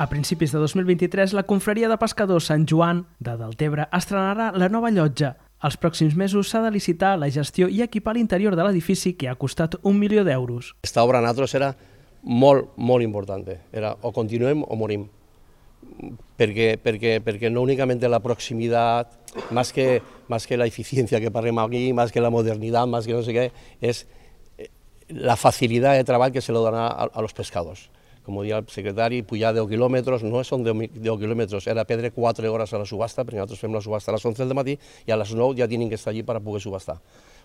A principis de 2023, la confraria de pescadors Sant Joan de Deltebre estrenarà la nova llotja. Els pròxims mesos s'ha de licitar la gestió i equipar l'interior de l'edifici, que ha costat 1 milió d'euros. Esta obra a nosaltres era molt important. Era o continuem o morim. Porque no únicamente la proximidad, más que la eficiencia que parlem aquí, más que la modernidad, más que no sé qué, es la facilidad de trabajo que se le dona a los pescadors. Como decía el secretari, pujar 10 quilòmetres, no són 10 quilòmetres, era perdre 4 hores a la subhasta, perquè nosaltres fem la subhasta a les 11 del matí i a les 9 ja tenen que estar allí per poder subhastar.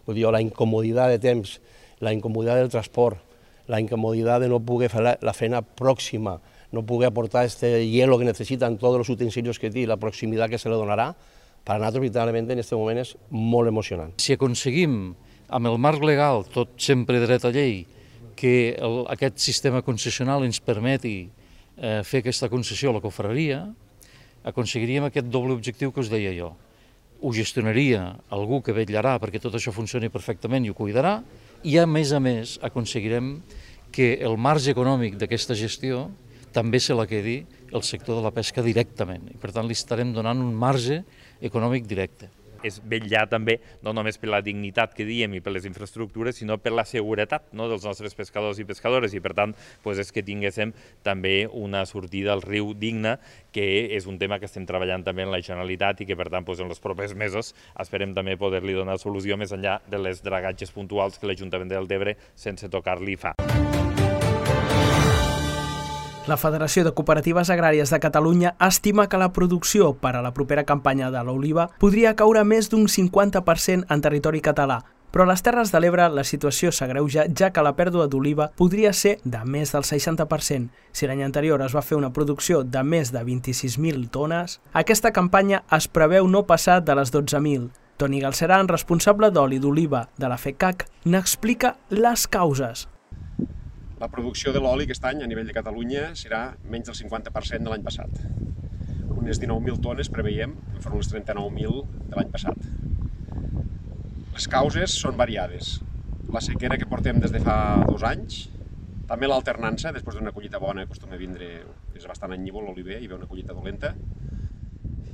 Vull dir, la incomoditat de temps, la incomoditat del transport, la incomoditat de no poder fer la feina pròxima, no poder aportar este hielo que necesitan todos los utensilios que té, la proximitat que se le donarà, per a nosaltres, literalment, en aquest moment és molt emocionant. Si aconseguim, amb el marc legal, tot sempre dret a llei, que aquest sistema concessional ens permeti fer aquesta concessió a la confraria, aconseguiríem aquest doble objectiu que us deia jo. Ho gestionaria algú que vetllarà perquè tot això funcioni perfectament i ho cuidarà, i a més, aconseguirem que el marge econòmic d'aquesta gestió també se la quedi el sector de la pesca directament. I per tant li estarem donant un marge econòmic directe. És vetllar també no només per la dignitat que diem i per les infraestructures, sinó per la seguretat dels nostres pescadors i pescadores, i per tant és que tinguéssim també una sortida al riu digna, que és un tema que estem treballant també en la Generalitat i que per tant en els propers mesos esperem també poder-li donar solució més enllà de les dragatges puntuals que l'Ajuntament de Deltebre sense tocar-li fa. La Federació de Cooperatives Agràries de Catalunya estima que la producció per a la propera campanya de l'oliva podria caure més d'un 50% en territori català, però a les Terres de l'Ebre la situació s'agreuja, ja que la pèrdua d'oliva podria ser de més del 60%. Si l'any anterior es va fer una producció de més de 26.000 tones, aquesta campanya es preveu no passar de les 12.000. Toni Galceran, responsable d'oli d'oliva de la FECAC, n'explica les causes. La producció de l'oli aquest any a nivell de Catalunya serà menys del 50% de l'any passat. Unes 19.000 tones preveiem, enfront les 39.000 de l'any passat. Les causes són variades. La sequera que portem des de fa 2 anys, també l'alternança, després d'una collita bona acostuma a vindre, és bastant anyívol l'oliver, hi ve una collita dolenta,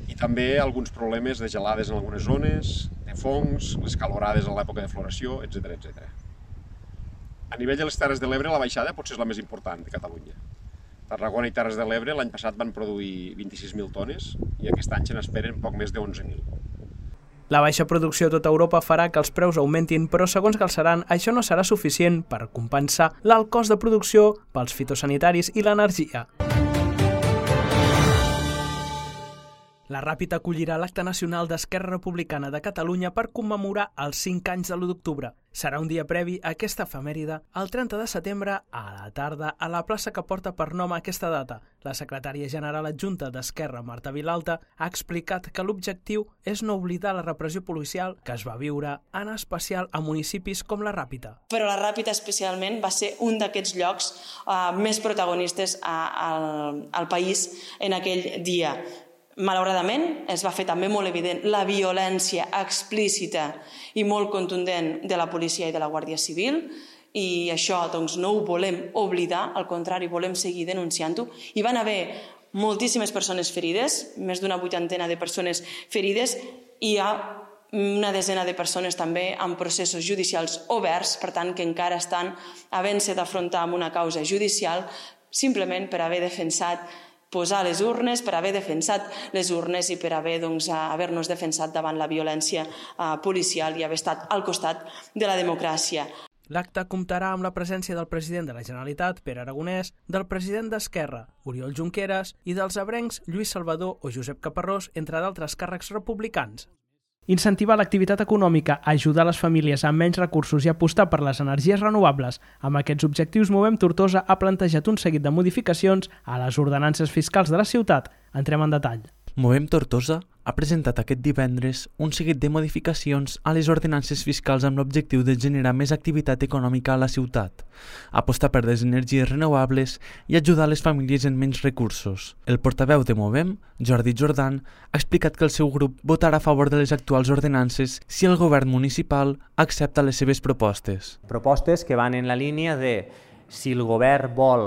i també alguns problemes de gelades en algunes zones, de fongs, les calorades a l'època de floració, etc. A nivell de les Terres de l'Ebre, la baixada potser és la més important de Catalunya. Tarragona i Terres de l'Ebre l'any passat van produir 26.000 tones i aquest any se n'esperen poc més de 11.000. La baixa producció a tota Europa farà que els preus augmentin, però segons Galceran, això no serà suficient per compensar l'alt cost de producció pels fitosanitaris i l'energia. La Ràpita acollirà l'acte nacional d'Esquerra Republicana de Catalunya per commemorar els 5 anys de l'1 d'octubre. Serà un dia previ a aquesta efemèride, el 30 de setembre, a la tarda, a la plaça que porta per nom aquesta data. La secretària general adjunta d'Esquerra, Marta Vilalta, ha explicat que l'objectiu és no oblidar la repressió policial que es va viure, en especial a municipis com la Ràpita. Però la Ràpita especialment va ser un d'aquests llocs més protagonistes al país en aquell dia. Malauradament, es va fer també molt evident la violència explícita i molt contundent de la policia i de la Guàrdia Civil, i això no ho volem oblidar, al contrari, volem seguir denunciant-ho. Hi van haver moltíssimes persones ferides, més d'una 80 de persones ferides, i hi ha una desena de persones també amb processos judicials oberts, per tant que encara estan havent-se d'afrontar amb una causa judicial simplement per haver defensat posar les urnes, per haver defensat les urnes i per haver-nos defensat davant la violència policial i haver estat al costat de la democràcia. L'acte comptarà amb la presència del president de la Generalitat, Pere Aragonès, del president d'Esquerra, Oriol Junqueras, i dels ebrencs Lluís Salvador o Josep Caparrós, entre d'altres càrrecs republicans. Incentivar l'activitat econòmica, ajudar les famílies amb menys recursos i apostar per les energies renovables. Amb aquests objectius, Movem Tortosa ha plantejat un seguit de modificacions a les ordenances fiscals de la ciutat. Entrem en detall. Movem Tortosa ha presentat aquest divendres un seguit de modificacions a les ordenances fiscals amb l'objectiu de generar més activitat econòmica a la ciutat, apostar per les energies renovables i ajudar les famílies amb menys recursos. El portaveu de Movem, Jordi Jordan, ha explicat que el seu grup votarà a favor de les actuals ordenances si el govern municipal accepta les seves propostes. Propostes que van en la línia de Si el govern vol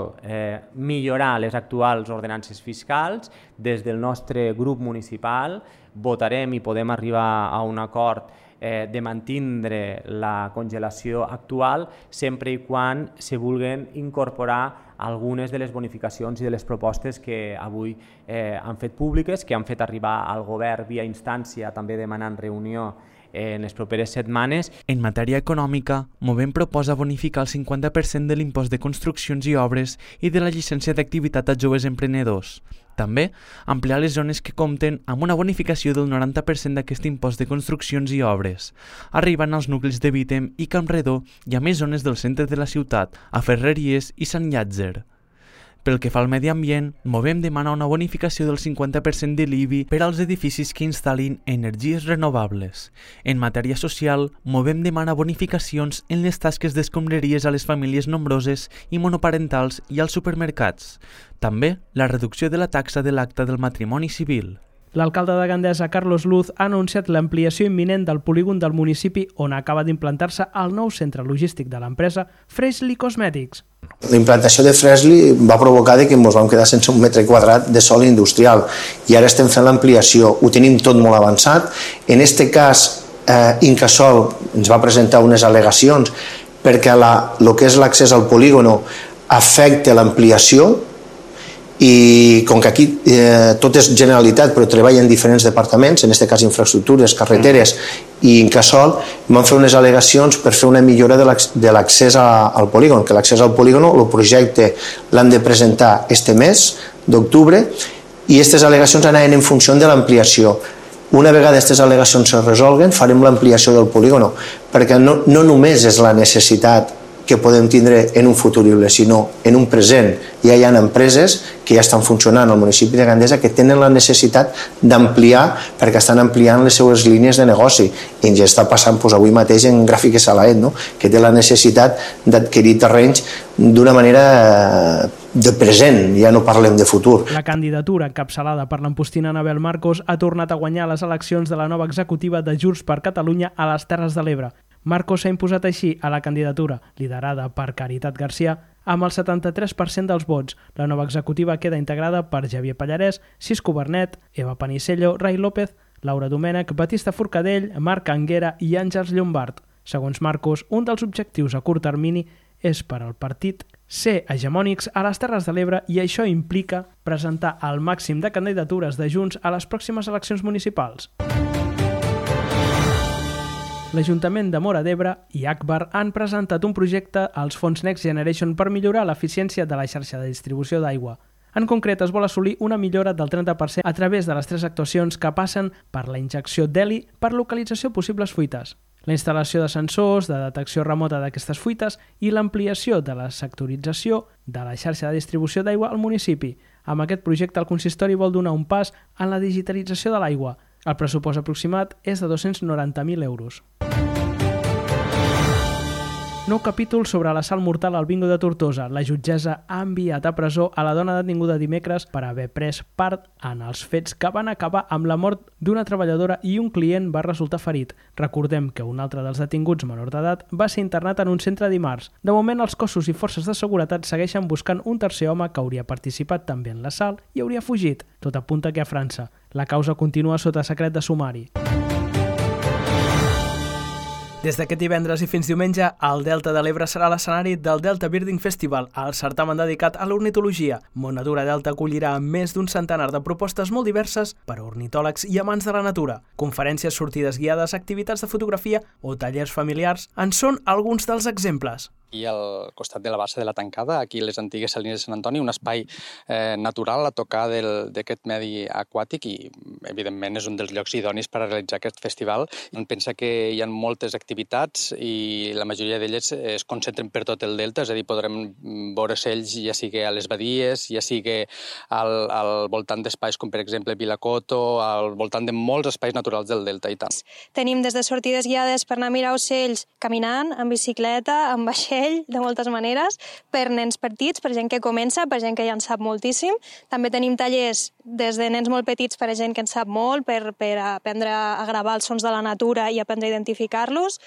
millorar les actuals ordenances fiscals, des del nostre grup municipal votarem i podem arribar a un acord de mantindre la congelació actual sempre i quan se vulguin incorporar algunes de les bonificacions i de les propostes que avui han fet públiques, que han fet arribar al govern via instància, també demanant reunió en les properes setmanes. En matèria econòmica, Movem proposa bonificar el 50% de l'impost de construccions i obres i de la llicència d'activitat a joves emprenedors. També, ampliar les zones que compten amb una bonificació del 90% d'aquest impost de construccions i obres, arribant als nuclis de Vítem i Campredó i a més zones del centre de la ciutat, a Ferreries i Sant Llàtzer. Pel que fa al medi ambient, Movem demana una bonificació del 50% de l'IBI per als edificis que instal·lin energies renovables. En matèria social, Movem demana bonificacions en les tasques d'escombraries a les famílies nombroses i monoparentals i als supermercats. També la reducció de la taxa de l'acta del matrimoni civil. L'alcalde de Gandesa, Carlos Luz, ha anunciat l'ampliació imminent del polígon del municipi on acaba d'implantar-se el nou centre logístic de l'empresa Freshly Cosmetics. La implantació de Freshly va provocar que ens vam quedar sense un metre quadrat de sòl industrial i ara estem fent l'ampliació, ho tenim tot molt avançat. En aquest cas, Incasòl ens va presentar unes al·legacions perquè el que és l'accés al polígon afecta l'ampliació i com que aquí tot és Generalitat però treballa en diferents departaments, en aquest cas infraestructures, carreteres i Incasòl, van fer unes al·legacions per fer una millora de l'accés al polígon, que l'accés al polígon, el projecte l'han de presentar este mes d'octubre i aquestes al·legacions anaven en funció de l'ampliació. Una vegada aquestes al·legacions es resolguen, farem l'ampliació del polígon, perquè no només és la necessitat que podem tindre en un futurible, sinó en un present. Ja hi ha empreses que ja estan funcionant al municipi de Gandesa que tenen la necessitat d'ampliar perquè estan ampliant les seues línies de negoci. I ens està passant avui mateix en Gràfica Salaet, que té la necessitat d'adquirir terrenys d'una manera de present, ja no parlem de futur. La candidatura encapçalada per l'ampostina Anabel Marcos ha tornat a guanyar les eleccions de la nova executiva de Junts per Catalunya a les Terres de l'Ebre. Marcos s'ha imposat així a la candidatura, liderada per Caritat Garcia, amb el 73% dels vots. La nova executiva queda integrada per Javier Pallarès, Cisco Bernet, Eva Panisello, Rai López, Laura Domènech, Batista Forcadell, Marc Anguera i Àngels Llombard. Segons Marcos, un dels objectius a curt termini és per al partit ser hegemònics a les Terres de l'Ebre i això implica presentar el màxim de candidatures de Junts a les pròximes eleccions municipals. L'Ajuntament de Móra d'Ebre i Agbar han presentat un projecte als fons Next Generation per millorar l'eficiència de la xarxa de distribució d'aigua. En concret, es vol assolir una millora del 30% a través de les 3 actuacions que passen per la injecció d'heli per localització de possibles fuites, la instal·lació de sensors de detecció remota d'aquestes fuites i l'ampliació de la sectorització de la xarxa de distribució d'aigua al municipi. Amb aquest projecte, el consistori vol donar un pas en la digitalització de l'aigua. El pressupost aproximat és de 290.000 euros. Nou capítol sobre l'assalt mortal al bingo de Tortosa. La jutgessa ha enviat a presó a la dona detinguda dimecres per haver pres part en els fets que van acabar amb la mort d'una treballadora i un client va resultar ferit. Recordem que un altre dels detinguts menor d'edat va ser internat en un centre dimarts. De moment, els cossos i forces de seguretat segueixen buscant un tercer home que hauria participat també en l'assalt i hauria fugit. Tot apunta que a França. La causa continua sota secret de sumari. Des d'aquest divendres i fins diumenge, el Delta de l'Ebre serà l'escenari del Delta Birding Festival, el certamen dedicat a l'ornitologia. Monadura Delta acollirà més d'un centenar de propostes molt diverses per a ornitòlegs i amants de la natura. Conferències, sortides guiades, activitats de fotografia o tallers familiars en són alguns dels exemples. Aquí al costat de la bassa de la Tancada, aquí les antigues salines de Sant Antoni, un espai natural a tocar d'aquest medi aquàtic i, evidentment, és un dels llocs idonis per a realitzar aquest festival. Em pensa que hi ha moltes activitats i la majoria d'elles es concentren per tot el delta, és a dir, podrem veure ocells ja sigui a les badies, ja sigui al voltant d'espais com, per exemple, Vilacoto, al voltant de molts espais naturals del delta i tant. Tenim des de sortides guiades per anar a mirar ocells caminant, en bicicleta, en vaixell, de moltes maneres, per nens petits, per gent que comença, per gent que ja en sap moltíssim. També tenim tallers des de nens molt petits per a gent que en sap molt, per aprendre a gravar els sons de la natura i aprendre a identificar-los.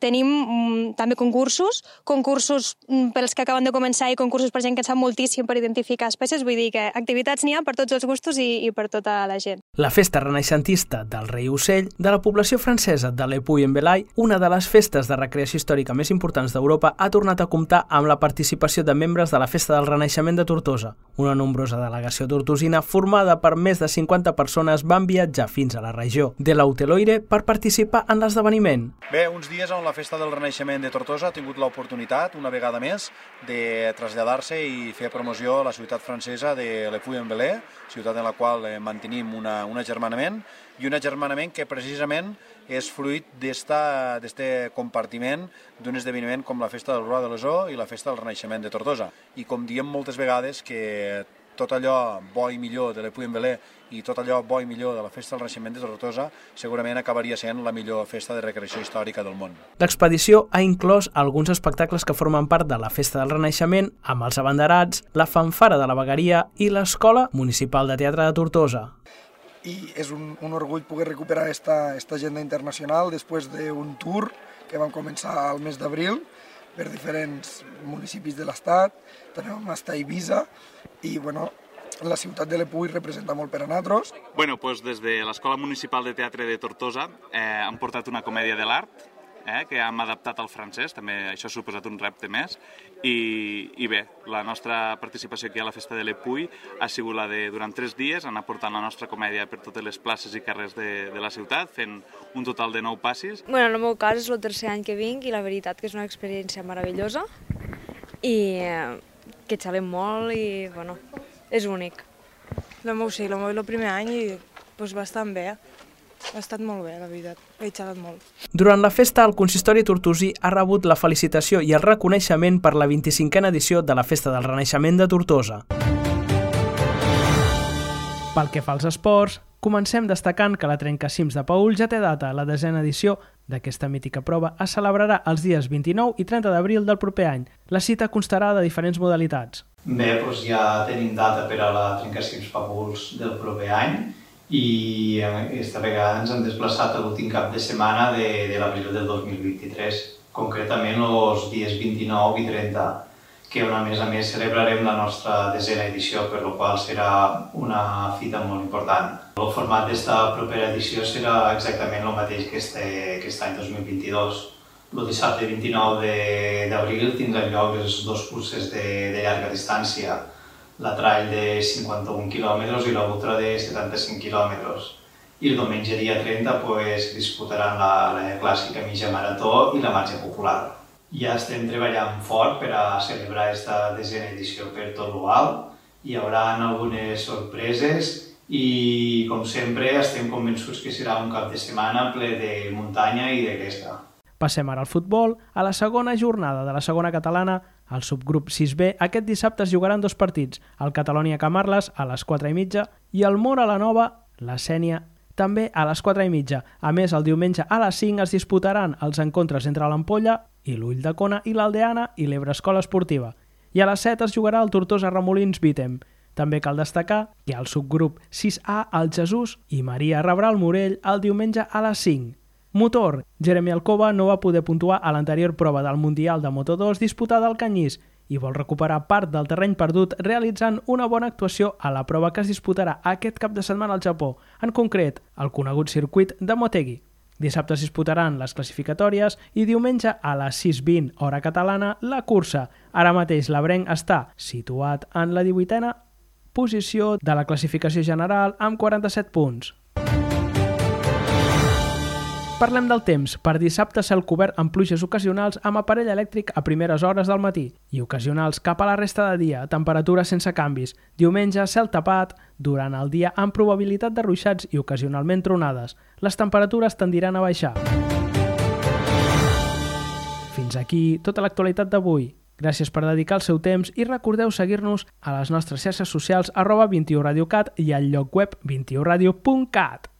Tenim també concursos pels que acaben de començar i concursos per gent que en sap moltíssim per identificar espècies, vull dir que activitats n'hi ha per tots els gustos i per tota la gent. La festa renaixentista del Rei Ocell de la població francesa de Le Puy-en-Velay, una de les festes de recreació històrica més importants d'Europa, ha tornat a comptar amb la participació de membres de la Festa del Renaixement de Tortosa. Una nombrosa delegació tortosina formada per més de 50 persones van viatjar fins a la regió de l'Hauteloire per participar en l'esdeveniment. Bé, uns dies on la Festa del Renaixement de Tortosa ha tingut l'oportunitat, una vegada més, de traslladar-se i fer promoció a la ciutat francesa de Le Puy-en-Velay, ciutat en la qual mantenim un agermanament, i un agermanament que precisament és fruit d'este compartiment d'un esdeveniment com la Festa del Roi de l'Osó i la Festa del Renaixement de Tortosa. I com diem moltes vegades que tot allò bo i millor de Le Puy-en-Velay i tot allò bo i millor de la Festa del Renaixement de Tortosa segurament acabaria sent la millor festa de recreació històrica del món. L'expedició ha inclòs alguns espectacles que formen part de la Festa del Renaixement, amb els abanderats, la fanfara de la vegueria i l'Escola Municipal de Teatre de Tortosa. I és un orgull poder recuperar esta agenda internacional després d'un tour que vam començar al mes d'abril per diferents municipis de l'estat. També vam estar a Eivissa i la ciutat de Le Puy representa molt per a nosaltres. Des de l'Escola Municipal de Teatre de Tortosa han portat una comèdia de l'art que hem adaptat al francès, també això ha suposat un repte més, i bé, la nostra participació aquí a la Festa de Le Puy ha sigut la de, durant 3 dies, anar portant la nostra comèdia per totes les places i carrers de la ciutat, fent un total de 9 passis. En el meu cas és el tercer any que vinc i la veritat que és una experiència meravellosa i que xalem molt i, és únic. El meu sí, el primer any i bastant bé. Ha estat molt bé, la veritat. He xalat molt. Durant la festa, el consistori tortosí ha rebut la felicitació i el reconeixement per la 25a edició de la Festa del Renaixement de Tortosa. Pel que fa als esports, comencem destacant que la Trencacims de Paül ja té data. La 10a edició d'aquesta mítica prova es celebrarà els dies 29 i 30 d'abril del proper any. La cita constarà de diferents modalitats. Bé, ja tenim data per a la Trencacims Paüls del proper any i aquesta vegada ens hem desplaçat a l'últim cap de setmana de l'abril del 2023, concretament els dies 29 i 30, que a més celebrarem la nostra 10a edició, per la qual serà una fita molt important. El format d'aquesta propera edició serà exactament el mateix que aquest any 2022. El dissabte 29 d'abril tindran lloc les 2 curses de llarga distància, la trail de 51 quilòmetres i l'ultra de 75 quilòmetres. I el diumenge dia 30 disputaran la clàssica mitja marató i la marxa popular. Ja estem treballant fort per a celebrar aquesta 10a edició per tot l'alt. Hi haurà algunes sorpreses i, com sempre, estem convençuts que serà un cap de setmana ple de muntanya i de gresca. Passem ara al futbol. A la segona jornada de la segona catalana, al subgrup 6B, aquest dissabte es jugaran 2 partits, el Catalonia-Camarles a les 4:30 i el Móra-la-Nova, la Sénia, també a les 4:30. A més, el diumenge a les 5 es disputaran els encontres entre l'Ampolla i l'Ulldecona i l'Aldeana i l'Ebre Escola Esportiva. I a les 7 es jugarà el Tortosa-Remolins-Bítem. També cal destacar que al subgrup 6A el Jesús i Maria rebrà el Morell el diumenge a les 5. Motor. Jeremy Alcoba no va poder puntuar a l'anterior prova del Mundial de Moto2 disputada al Canyís i vol recuperar part del terreny perdut realitzant una bona actuació a la prova que es disputarà aquest cap de setmana al Japó, en concret, el conegut circuit de Motegi. Dissabte es disputaran les classificatòries i diumenge a les 6:20 hora catalana la cursa. Ara mateix l'Abrenc està situat en la 18a posició de la classificació general amb 47 punts. Parlem del temps. Per dissabte, cel cobert amb pluges ocasionals amb aparell elèctric a primeres hores del matí i ocasionals cap a la resta de dia, temperatures sense canvis. Diumenge, cel tapat, durant el dia amb probabilitat de ruixats i ocasionalment tronades. Les temperatures tendiran a baixar. Fins aquí tota l'actualitat d'avui. Gràcies per dedicar el seu temps i recordeu seguir-nos a les nostres xarxes socials @21radiocat i al lloc web 21radio.cat.